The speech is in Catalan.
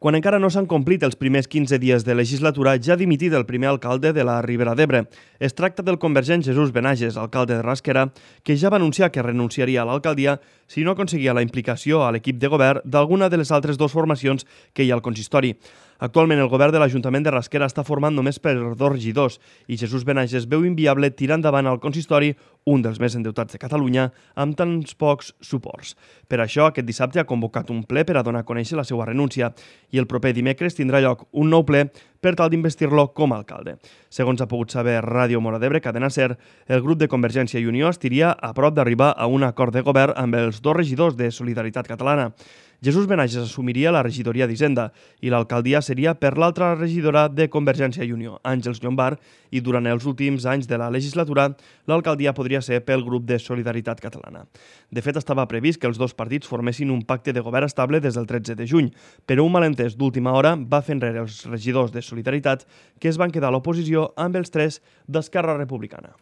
Quan encara no s'han complit els primers 15 dies de legislatura, ja ha dimitit el primer alcalde de la Ribera d'Ebre. Es tracta del convergent Jesús Benages, alcalde de Rasquera, que ja va anunciar que renunciaria a l'alcaldia si no aconseguia la implicació a l'equip de govern d'alguna de les altres dues formacions que hi ha al consistori. Actualment, el govern de l'Ajuntament de Rasquera està format només per 2 regidors i Jesús Benages veu inviable tirar endavant al consistori, un dels més endeutats de Catalunya, amb tants pocs suports. Per això, aquest dissabte ha convocat un ple per a donar a conèixer la seva renúncia i el proper dimecres tindrà lloc un nou ple per tal d'investir-lo com a alcalde. Segons ha pogut saber Ràdio Mora d'Ebre, Cadena Ser, el grup de Convergència i Unió estiria a prop d'arribar a un acord de govern amb els 2 regidors de Solidaritat Catalana. Jesús Benages assumiria la regidoria d'Hisenda i l'alcaldia seria per l'altra regidora de Convergència i Unió, Àngels Llombard, i durant els últims anys de la legislatura l'alcaldia podria ser pel grup de Solidaritat Catalana. De fet, estava previst que els dos partits formessin un pacte de govern estable des del 13 de juny, però un malentès d'última hora va fer enrere els regidors de Solidaritat que es van quedar a l'oposició amb els 3 d'Esquerra Republicana.